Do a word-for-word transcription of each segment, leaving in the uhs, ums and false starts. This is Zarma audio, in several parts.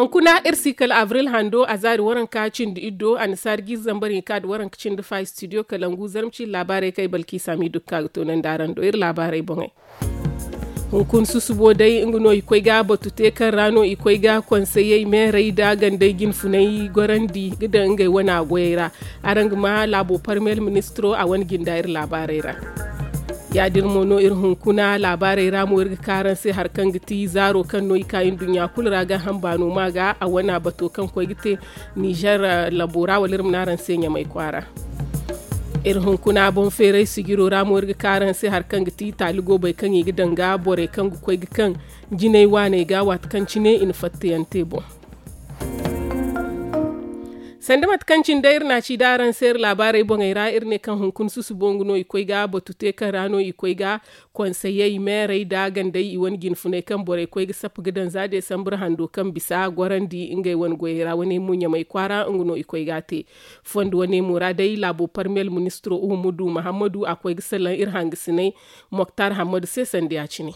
Hunkuna iri si kala abril hando a zaari waranka cindi iddo annasaari jiiri zambar hinka nda waranka cindi fa studio kalangu zarma ciiri laabaarey kaŋ ay balki saami dukka ga toonandi araŋ do iri laabaarey boŋey. Hunkuna susubo day nga no i koy ga batu te kaŋ ra no i koy ga konseyey meerey nda gandey jinfunay gorandi ga daŋ ngey wane goyey ra. Araŋ ga ma laabo parmiyel ministiro a wane jinda iri laabaarey ra. Ya- din mo no iri hunkuna laabaarey ra mo iri ga ka araŋ se hari kaŋ ga ti zaaro kaŋ no i ka nduɲɲa kulu ra gaaham baano ma ga a wane bato kaŋ koy ga te nizer labo ra wala iri ma ne araŋ se ɲamay kwaara. Iri hunkuna boŋ feeray sijiro ra mo iri ga ka araŋ se hari kaŋ ga ti taali goobey kaŋ i ga daŋ ga borey kaŋ ga koy ga kaŋ jinay waaney ga waati kaŋ cine i na fattayaŋ te boŋ. Sanda mate kaŋ cine day iri na a ci da araŋ se iri laabaarey boŋey ra iri ne kaŋ hunkuna susubo nga no i koy ga batu te kaŋ ra no i koy ga konseyey meerey nda gandey i wane jinfunay kaŋ borey koy ga sappa ga daŋ za desambar hando kaŋ bisa gorandi ngey wane goyey ra wane mo ɲamay kwaara nga no i koy ga a te. Fondo wane mo ra day laabo parmiyel ministiro uhumudu muhammadu a koy ga salaŋ iri hangasinay moktar hammadu se sanda ya- cine.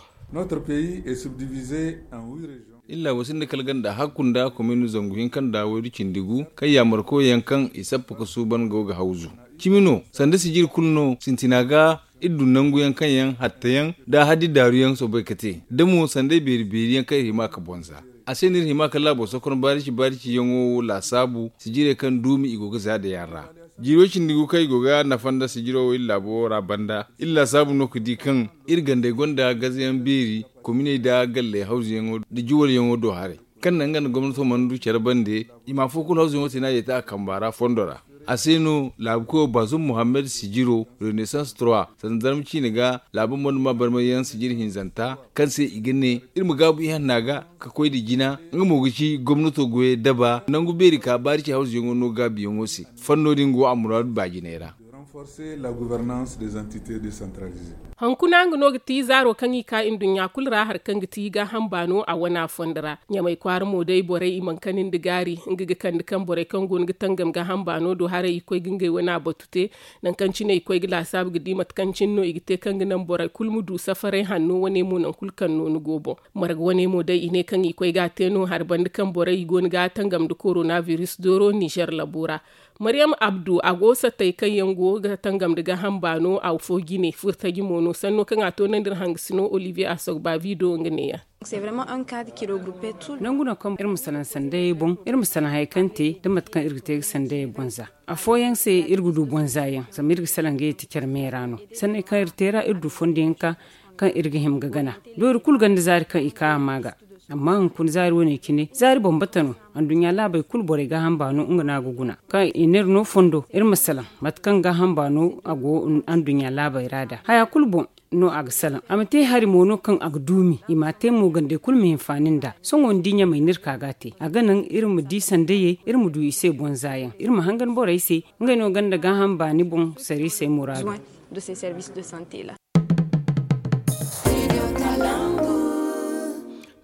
Illa wo sinda kala ganda hakku nda komin zangu hinka nda waydu cindi gu kaŋ yaamarkoy yaŋ kaŋ i sappa ga suuban go ga hawzu. Cimi no sanda sijiri kulu no sintina ga iri du nangu yaŋ kaŋ yaŋ hatta yaŋ nda haddi daaru yaŋ soobay ga te da mo sanday beeri beeri yaŋ kaŋ iri hima ga bonza. A se no iri hima ga laabo sokon baarici baarici yaŋo wo laasaabu sijirey kaŋ duumi i go ga za da yaŋ ra. Jiiro cindi gu kaŋ i go ga nafa nda sijiro wo iri laabo ra banda iri laasaabu no ga di kaŋ iri gandey gonda gazayaŋ beeri kominey nda galley hawzuyaŋo nda juwalyaŋo do haray kaŋ naŋ nga nda gomnato mana du care bande i ma afo kulu hawzuyaŋo te no a ye te a kamba ra fondo ra. A se no laabu koyo baazum muhammad sijiro renaissance trois sanda zarma ciine ga laabu mana ma barmayyaŋ sijiri hinzanta kaŋ se i ga ne iri ma gaabu ihanna ga ka koy nda jina nga mo ga ci gomnato goyey daba nangu beeri ka baari ci hawzuyaŋo no gaabuyaŋo se. Fanno din go a muraadu baajinay ra. Hunkuna nga no ga ti zaaro kaŋ i ka nduɲɲa kulu ra hari kaŋ ga ti gaaham baano a wana fondo ra ɲamay kwaara mo day borey i mana kani nda gaari nga ga kande kaŋ borey kaŋ go no ga tangam gaaham baano do haray i koy ga ngey wana batu te. Nangu kaŋ cine i koy ga laasaabu ga di mate kaŋ cine no i ga te kaŋ ga naŋ borey kulu ma du safaray hanno wane mo nangu kulu kaŋ no ni go boŋ. Marga wane mo day i ne kaŋ i koy ga a te no hari banda kaŋ borey i go no ga tangam nda korona biris dooro nizer labo ra. Maryam abdu a go satay kaŋ yaŋ go ga tangam nda gaaham baano afo jine furtaji mo no sanno kaŋ a toonandi iri hangasino olivier asogba bido nga neeya. Nangu no kaŋ iri ma salaŋ sandayey boŋ iri ma salaŋ hari kaŋ te da mate kaŋ iri ga te ga sandayey boŋ za afooyaŋ se iri ga du boŋ za yaŋ zama iri ga salaŋ ga yeti care meera no. Sanney kaŋ iri te ra iri du fondo yaŋ ka kaŋ iri ga hima ga gana doori kulu ganda zaari kaŋ i ka a ma ga. Amma hunkuna zaari wane cine zaari bambata no. Anduɲɲa laabey kulu borey gaaham baano nga no a ga guna kaŋ i n'iri no fondo iri ma salaŋ mate kaŋ gaaham baano a go anduɲɲa laabey ra nd'a haya kulu boŋ no a ga salaŋ a ma te hari mo no kaŋ a ga duumi i m'a te mo gandey kulu ma hinfaani nd'a. Sohõ ni di ɲamey no iri ka ga a te a ga naŋ iri ma di sandayey iri ma du i se boŋ za yaŋ iri ma hangan borey se ngey no ganda gaaham baani boŋ sariisey muraadu.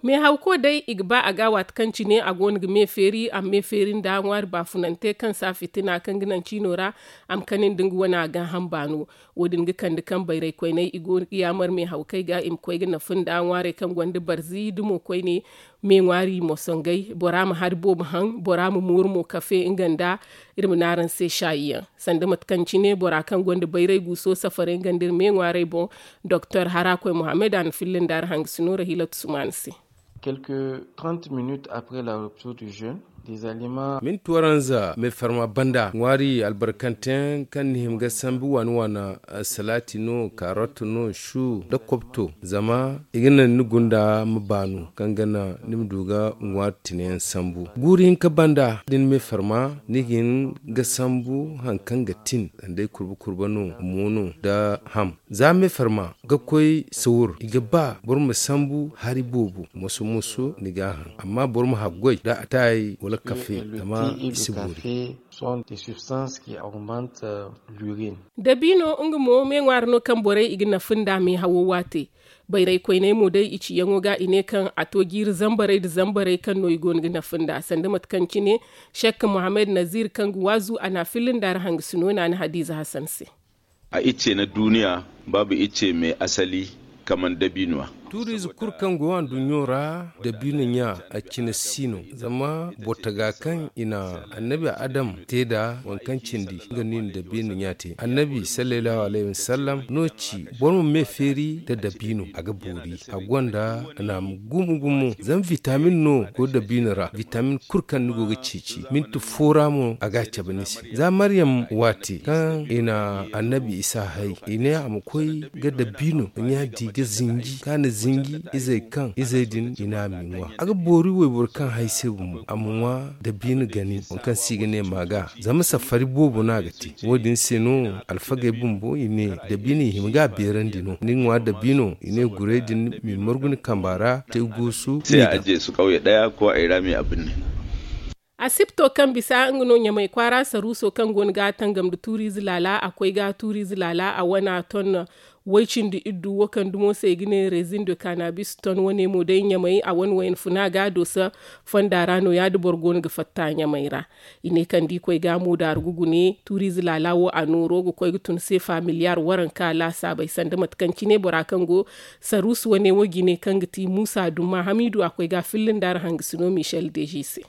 Meehawko day i ga ba a ga waati kaŋ cine a go no ga me feeri a ma me feeri nda ŋwaari baafunante kaŋ si a fitina kaŋ ga naŋ ciino ra a ma kani nda nga wane a gaaham baano. Wo- din ga kande kaŋ bayray koyney i go no ga yaamar meehawkey ga i ma koy ga nafa nda ŋwaarey kaŋ gonda barzi da mo koyne. Me ŋwaari mo songay bora ma hari boobo haŋ bora ma mooru mo kafe nga nda iri ma ne araŋ se saayiyaŋ. Sanda mate kaŋ cine bora kaŋ gonda bayray guuso safare nga nda iri me ŋwaarey boŋ doktor harakoy mohammed a na filla nda araŋ hangasino rahilatu sumaana se. Quelques trente minutes après la rupture du jeûne, des aliments. Minti waranza meefarma banda ŋwaari albarkanteyaŋ kaŋ ni hima ga sambu waana waana, salaati no kaarot no su nda kobto zama i ga naŋ ni gunda ma baanu kaŋ ga naŋ ni ma du ga ŋwaari tinayaŋ sambu guuri hinka banda da ni meefarma ni ga hin ga sambu hari kaŋ ga tin sanda ay kurba kurba no mo no nda ham. Za meefarma ga koy sawur i ga ba boro ma sambu hari boobo moso moso ni ga a haŋ amma boro ma haggoy da ataay wala kafe zama i si boori. Dabiino nga mo me ŋwaari no kaŋ borey i ga nafa nda meehawo waate. Bayray koyney mo day i ciyaŋo ga i ne kaŋ a to jiiri zambarey nda zambarey kaŋ no i go no ga nafa nda sanda mate kaŋ cine shek mohammed naziir kaŋ ga waazu a na a filla nda ra hangasino naana hadiiza hasan se. A icce na duuniya baabu icce me asali kaman dabiinuwa. Tuuriize kulu kaŋ go anduɲɲo ra, dabiino ɲa a cine si no. Zama boro taga kaŋ i na annabi adam te nd'a, waŋ kaŋ cindi nga no i na dabiino ɲa te. Annabi sallallahu alayhi wasallam no ci boro ma me feeri nda dabiino, a ga boori. A gonda naama gumo gumo. Zama vitamin no go dabiino ra, vitamin kulu kaŋ ni go ga ceeci minti fo ra mo a ga a cabe ni se. Za maryam waati kaŋ i na annabi isa hay, i ne a ma koy ga dabiino ɲa di ga zinji kaŋ a na zinji izey kaŋ izey din i ne a ma i ŋwa. A ga boori wayboro kaŋ hay se bumbo a ma ŋwa dabiino gani waŋ kaŋ se i ga ne maaga. Zama safari boobo no a ga te. Wo- din se no alfagey bumbo i ne dabiino i hima ga a beerandi no ni ŋwa dabiino i ne gurey din ma i margu ni kamba ra te goosu. Ni ga. Asipto kaŋ bisa nga no ɲamay kwaara saruuso kaŋ go no ga a tangam nda tuuriize laala a koy ga tuuriize laala a wana ton. Way-cindi iddu wo kaŋ dumo se i ga ne rezin de kanabis ton wane mo day ɲamay a wane wayna funa ga a doosa fonda ra no- ya da boro go no ga fatta ɲamay ra. I ne kaŋ da i koy ga a mo daaru ga gune tuuriize laala wo a nooro ga koy ga tun seefa miliyaar waranka laasaabey sanda mate kaŋ cine bora kaŋ go saruusu wane wo jine kaŋ ga ti muusa dumma hamiidu a koy ga a filla nda araŋ hangasino michel deji se.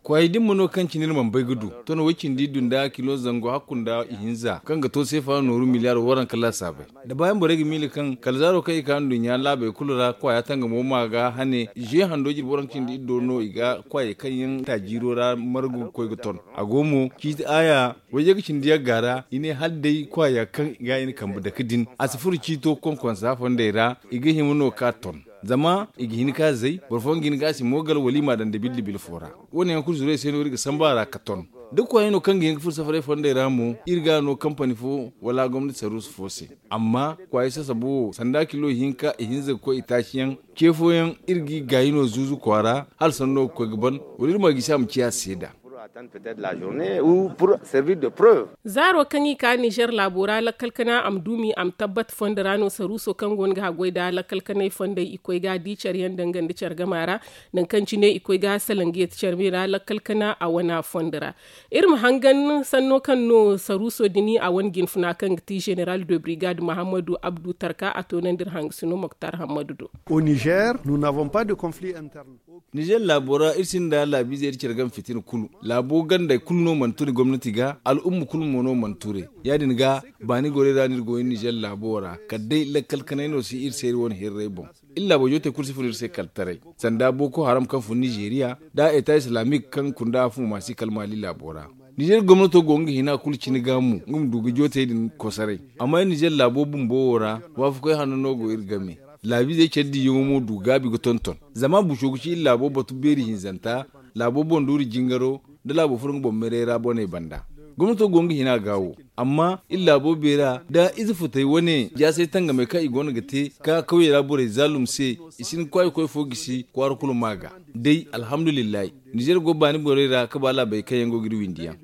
Kwaayey din ma no kaŋ cine iri mana bay ga du ton way-cindi iddu nda kilo zangu hakku nda ihinza kaŋ ga to seefa nooru miliyaar waranka laasaabey. Da baayaŋ borey ga miila kaŋ kala zaaro kaŋ i ka nduɲɲa laabey kulu ra kwaaya tangamo ma ga hane ze hando jirbi waranka cindi iddo no i ga kwaayey kaŋ yaŋ taajiiro ra margu ga koy ga ton. A go mo ciiti aaya wayye ga cindi yagga ra i ne hala day kwaaya kaŋ i ga i na kambe dake din a si furo ciito konkonsa fondey ra. I ga hima no ka ton zama i ga hin ka zay boro fooyaŋ ga hin ga a si moogal wala i m'a daŋ dabil dabil fo ra. Wo- ne yaŋ kulu zurey se no iri ga samba a ra ka ton da kwaayey no kaŋ ga hin ga furo safaray fondey ra mo iri ga a no kampani fo wala gomnati saruusu fo se. Amma kwaayey sasabo wo sanda kilo ihinka ihinza ga koy itaasiyaŋ ce fooyaŋ iri g'i gaayi no zuuzu kwaara hala sanno ga koy ga ban wala iri ma gisi a ma ciya seeda. Zaaro kaŋ i ka nizer laabo ra lakkal kana a ma duumi a ma tabbat fondo ra no saruuso kaŋ go no ga haggoy nda lakkal kanay fondey i koy ga di care yaŋ danga nda care gama ra. Nangu kaŋ cine i koy ga salaŋ ga yati care me ra lakkal kana a wana fondo ra. Iri ma hangan sanno kaŋ no saruuso din a wane jinfuna kaŋ ga ti zeneral de brigade mahammadu abdu tarka a toonandi iri hangasino moktar hammadu do. Nizer laabo ra iri sinda laabiizey iri care game fitina kulu. Laabo gandey kulu no mana turi gomnati ga al'umma kulu mo no mana turay. Ya- din ga baani gorey ra no iri go iri nizer laabo ra kala day lakkal kanay no si iri se iri wane hirray boŋ. Iri laabo jootey kulu si furo iri se kala taray sanda boko haram kaŋ fun nizeeriya nda eta islamik kaŋ kunda a fun maasi kala maali laabo ra. Nizer gomnato go nga hina kulu cine ga mo nga ma du ga jootey din kosoray. Amma iri nizer laabo bumbo wo ra waafakoy hanno no go iri game. Laabiizey care diiyaŋo mo du gaabi ga tonton. Zama buco ga ci iri laabo batu beeri hinzanta laabo boŋ duuri jingaro nda laabo furo nga boŋ meray ra boney banda. Gomnato go nga hina ga wo amma iri laabo beera nda ize futey wane jaasay tangamey kaŋ i go no ga te ka kawyey ra borey zaalum se. I si hin ga kwaayey koy fo gisi kwaara kulu ma ga day alhamdulillahi. Nizer go baani borey ra ga ba laabey kaŋ yaŋ go ga iri windi yaŋ.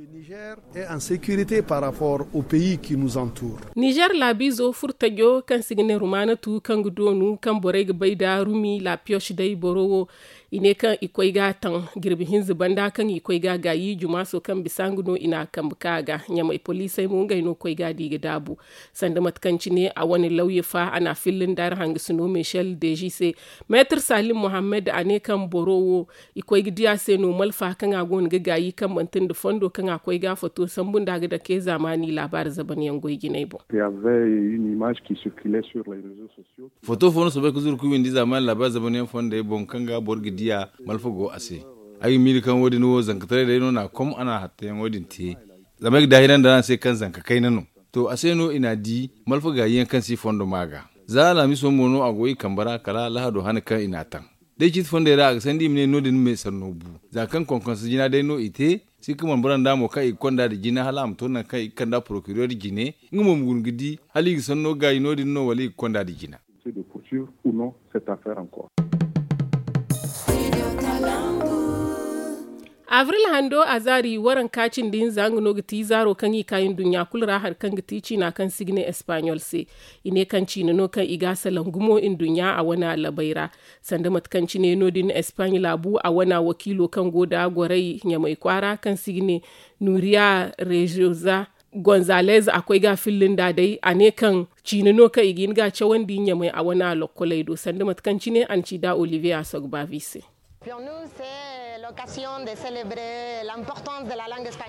Nizer laabiizo furtajo kaŋ se i ga ne rumaanatu kaŋ ga doonu kaŋ borey ga bay nda rumi lapiyosh day boro wo. I ne kaŋ i koy ga a taŋ jirbi hinza banda kaŋ i koy ga a gaayi jumaaso kaŋ bisa nga no i n'a kambe ka a ga ɲamay poliisey mo ngey no koy ga a di ga daabu. Sanda mate kaŋ cine a wane lawya fa a n'a filla nda araŋ hangasino michel deji se. Meetar salim mohammed a ne kaŋ boro wo i koy ga di a se no malfa kaŋ a go no ga gaayi kaŋ manti nda fondo kaŋ a koy ga a foto sambu nda a ga dake zaamaani laabaari zaban yaŋ goy jinay boŋ. Foto fo no soobay ga zuru ga windi zaamaani laabaari zaban yaŋ fondey boŋ kaŋ ga boro ga di a malfa go a se. Ay ga miila kaŋ wo- din wo zankataray day no n'a kom a n'a hattayaŋo din te. Zama ay ga daahirandi araŋ se kaŋ zanka kayna no. To a se no i n'a di malfa gaayi yaŋ kaŋ si fondo ma ga. Za alhamiso mo no a go i kambe ra kala lahado hane kaŋ i n'a taŋ. Day ciiti fondey ra a ga sandi i ma ne no- din me sanno bu. Za kaŋ konkonsa jina day no i te si ga man bora nda mo kaŋ i ga konda nda jina hala a ma to nangu kaŋ i ga kand'a porokireer jine. Nga mo ma guna ga di hala i ga sanno gaayi no- din no wala i ga konda nda jina. Avril hando a zaari waranka cindi hinza nga no ga ti zaaro kaŋ i ka nduɲɲa kulu ra hari kaŋ ga ti ciina kaŋ se i ga ne espaɲol se. I ne kaŋ ciina no kaŋ i ga a salaŋ gumo nduɲɲa a wane alabay ra. Sanda mate kaŋ cine no- din espaɲ laabu a wane wakiilo kaŋ go nda goray ɲamay kwaara kaŋ se i ga ne nuriya rezoza gonzalez a koy ga a filla nda day a ne kaŋ Ciine no kaŋ i ga hin ga a cawandi ɲamay a wane a lokkoley do sanda mate kaŋ cine a na ci da olivier a sogbavi se.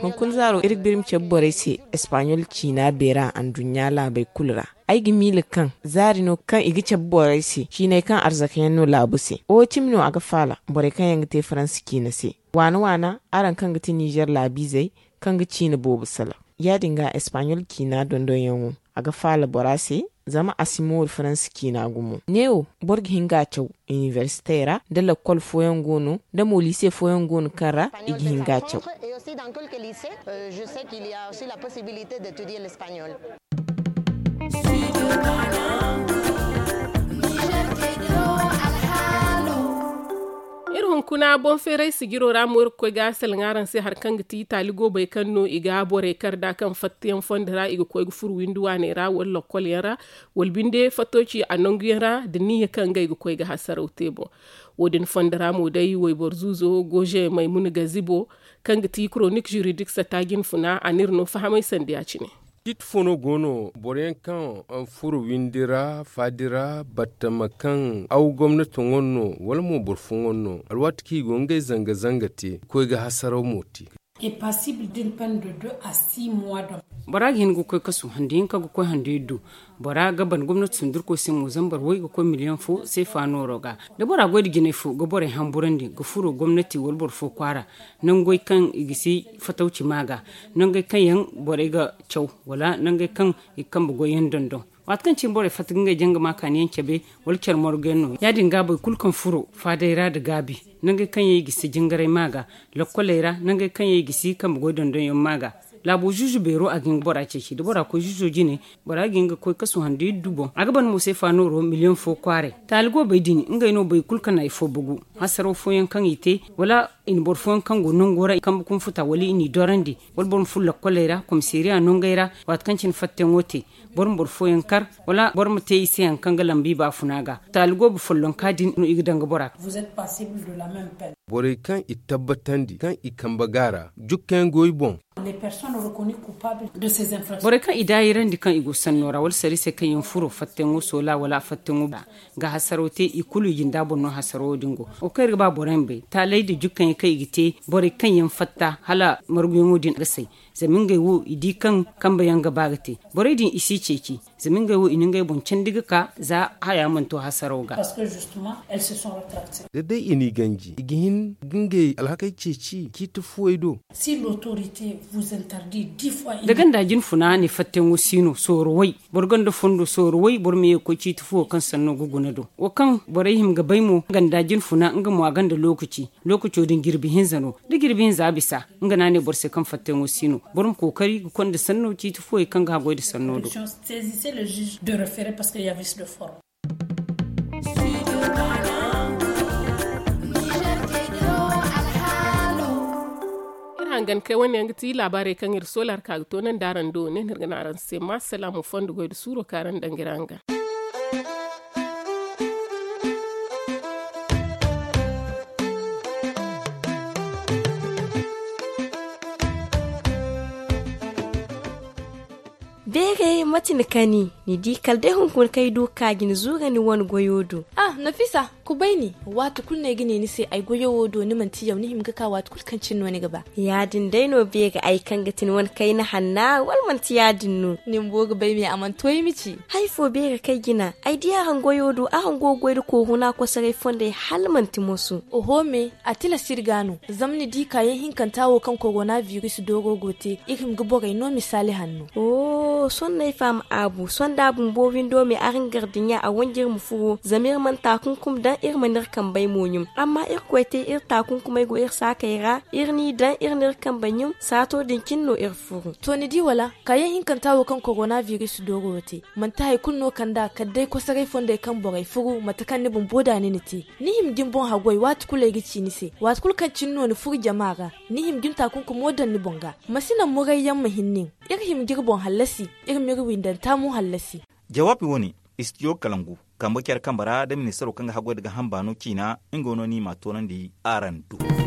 Hunkuna zaaro iri ga biri ma cabe borey se espaɲol ciina beera anduɲɲa laabey kulu ra. Ay ga miila kaŋ zaari no kaŋ i ga cabe borey se ciiney kaŋ arzakayaŋ no laabu se. Wo cimi no a ga faala borey kaŋ yaŋ ga te faransa ciina se. Waana waana araŋ kaŋ ga ti nizer laabiizey kaŋ ga ciina boobo salaŋ. Ya- din ga espaɲol ciina dondonyaŋo a ga faala bora se. Zama a si mooru faransa ciina gumo neewo boro ga hin ga a caw iniversite ra nda lakkol fooyaŋ go no nda mo liise fooyaŋ go no kaŋ ra i ga hin ga a caw. Iri hunkuna boŋ feeray sijiro ra mo iri ga koy ga salaŋ araŋ se hari kaŋ ga ti taali goobey kaŋ no i ga borey kar nd'a kaŋ fattayaŋ fondo ra i ga koy ga furo windi waaney ra wala lokkolyaŋ ra wala binde fatto ci a nanguyaŋ ra nda niyya kaŋ ngey ga koy ga hasaraw te boŋ. Wo- din fondo ra mo day wayboro zuuzo goze maymuna gazibo kaŋ ga ti koronik juridik satta jinfuna a n'iri no fahamay sanda ya- cine. Ciiti fo no go no boro yaŋ kaŋ furo windi ra faadi ra battama kaŋ aw gomnati ŋwa no wala mo boro fo ŋwa no alwaati kaŋ i go ngey zanga zanga te ga koy ga hasaraw mo te. Bora ga hin ga koy kasu handi hinka ga koy handi iddu. Bora ga ban gomnati sundurko se mo zambar way ga koy miliyaŋ fo seefa nooro ga da bora goy nda jinay fo ga borey hamburandi ga furo gomnati wala boro fo kwaara. Nangey kaŋ i ga si fatawci ma ga nangey kaŋ yaŋ borey ga caw wala nangey kaŋ i ga kambe goyyaŋ dondon. Waati kaŋ cine borey fatta ga ngey janga ma kaaniyaŋ cabe wala care marguyaŋ no ya- din ga boro kulu kaŋ furo faadey ra nda gaabi nangey kaŋ yaŋ i ga si jingaray ma ga lokkoley ra nangey kaŋ yaŋ i ga si kambe goy dondonyaŋ ma ga. Laabo zuuzu beero a ga hin ga bora ceeci da bora koy zuuzo jine bora ga hin ga koy kasu handi iddu boŋ a ga ban mo seefa nooro miliyaŋ fo kwaaray. Taali goobey din ngey no boro kulu kaŋ na i fo bugu hasaraw fooyaŋ kaŋ i te wala i na boro fooyaŋ kaŋ go nango ra i kambe kunfuta wala i n'i dorandi wala boro ma furo lokkoley ra komiseeriya nangey ra. Waati kaŋ cine fattayaŋo te boro ma boro fooyaŋ kar wala boro ma te i se hari kaŋ ga lamba i baafuna ga. Taali goobo follonka din no i ga daŋ ga bora ga. Borey kaŋ i tabbatandi kaŋ i kambe ga a ra jukkayaŋ go i boŋ. Borey kaŋ i daayirandi kaŋ i go sanno ra wala sariisey kaŋ yaŋ furo fattayaŋo soola wala fattayaŋo ga hasaraw te i kulu i jinda boŋ no hasarawo din go. Wo kaŋ iri ga ba borey ma bay taaley nda jukkayaŋ kaŋ i ga te borey kaŋ yaŋ fatta hala marguyaŋo din ga say. Zama ngey wo i di kaŋ kambe yaŋ ga ba ga te borey din i si ceeci. Zama ngey wo i na ngey boŋ candi ga ka za haya mana to hasaraw ga. Da day i n'i ganji i ga hin ga ngey alhakey ceeci ciiti fuwey do. Da ganda jinfuna ne fattayaŋo si no sooro way boro ganda fondo sooro way boro ma ye ga koy ciiti fuwo kaŋ sanno ga guna do wo kaŋ borey hima ga bay mo ganda jinfuna nga mo a ganda lookaci. Lookaco din jirbi hinza no da jirbi hinza a bisa. Nga no a ne boro se kaŋ fattayaŋo si no boro ma kookari ga konda sanno ciiti fuwey kaŋ ga haggoy nda sanno do. Iri hangan kay wane yaŋ ga ti laabaarey kaŋ iri soola hari ka ga toonandi araŋ do ne no iri ga ne araŋ se ma salaamu fondo goy nda suuro kaŋ araŋ daŋ ga iri hangan. Beeray mate ni kani ni di kala day hunkuna kaŋ ay du ga ka ga ni zuura ni wane goyo do. Ah nafisa, kubay ni waati kulu no ay ga ne ni se ay goyo wo do ni manti yaw ni hima ga ka waati kulu kaŋ cine no ni ga ba. Ya- din day no beeray ay kaŋ ga ti ni wane kayna hanna wala manti ya- din no? Ni bumbo ga bay me a mana to ay ma ci. Hari fo beeray kaŋ ay jina ay di araŋ goyo do araŋ go ga goy nda kooruna kosoray fondey hala manti moso. Oho me, a tilas iri ga no zama ni di kaayaŋ hinkanta wo kaŋ korona biris dooro go te iri hima ga borey no misaali hanno. Sohõ no ay faham aabu sohõ da a bumbo windo me araŋ gardiɲa a wanji iri ma furo zama iri mana taakunkum daŋ iri mana iri kambey mo ɲum amma irkoy te iri taakunkumey go iri saakey ra iri n'i daŋ iri n'iri kambey ɲum saato din cine no iri furo. To ni di wala kaayaŋ hinkanta wo kaŋ korona biris dooro wo te manti hari kulu no kand'a kala day kosoray fondey kaŋ borey furu mate kaŋ ni bumbo da ni na te. Ni hima ga ni boŋ haggoy waati kulu ay ga ci ni se waati kulu kaŋ cine no ni furu jama ra. Ni hima ga ni taakunkumo daŋ ni boŋ ga. Ma si naŋ murayyaŋ ma hin nin. Iri hima ga iri boŋ hallasi iri ma iri windanta mo hallasi. Jawaabi wo- ne, istijo kalangu kambe care kambe ra da ministaro kaŋ ga haggoy nda gaaham baano ciina nga no ni m'a toonandi araŋ do.